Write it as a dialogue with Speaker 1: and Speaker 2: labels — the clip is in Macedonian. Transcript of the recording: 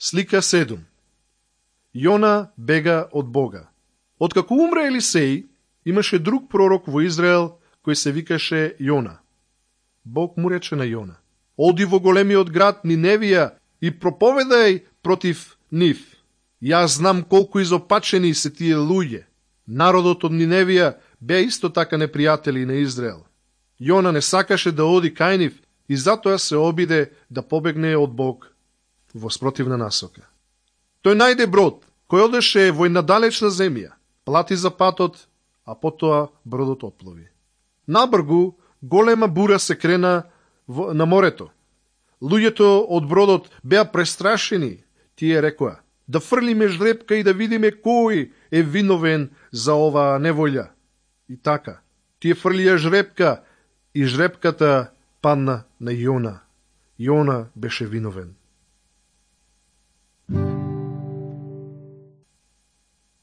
Speaker 1: Слика 7. Јона бега од Бога. Откако умре Елисеј, имаше друг пророк во Израел кој се викаше Јона. Бог му рече на Јона: оди во големиот град Ниневија и проповедај против нив. Јас знам колку изопачени се тие луѓе. Народот од Ниневија беа исто така непријатели на Израел. Јона не сакаше да оди кај нив и затоа се обиде да побегне од Бог во спротивна насока. Тој најде брод, кој одеше во една далечна земја, плати за патот, а потоа бродот отплови. Набргу голема бура се крена на морето. Луѓето од бродот беа престрашени. Тие рекоа: да фрлиме жребка и да видиме кој е виновен за оваа неволја. И така, тие фрлија жребка и жребката падна на Јона. Јона беше виновен.